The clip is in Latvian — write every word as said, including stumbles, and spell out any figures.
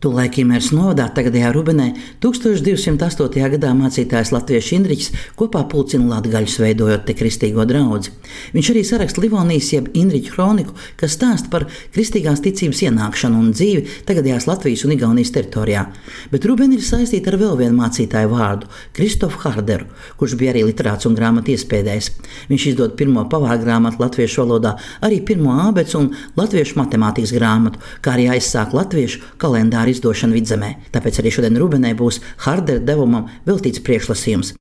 Tolaik Imēras novadā, tagadējā Rubenē, tūkstoš divsimt astotajā gadā mācītājs latviešu Indriķis kopā pulcina latgaļus, veidojot te kristīgo draudzi. Viņš arī saraksta Livonijas jeb Indriķu kroniku, kas stāsta par kristīgās ticības ienākšanu un dzīvi tagadējās Latvijas un Igaunijas teritorijā. Bet Rubeni ir saistīta ar vēl vienu mācītāju vārdu – Kristofu Harderu, kurš bija arī literāts un grāmatu iespēdējs. Viņš izdod pirmo pavāru grāmatu latviešu valodā, arī pirmo ābecu un latviešu matemātikas grāmatu, kā arī aizsāk latviešu kalendāru izdošana Vidzemē. Tāpēc arī šodien Rubenē būs Hardera devumam veltīts priekšlasījums.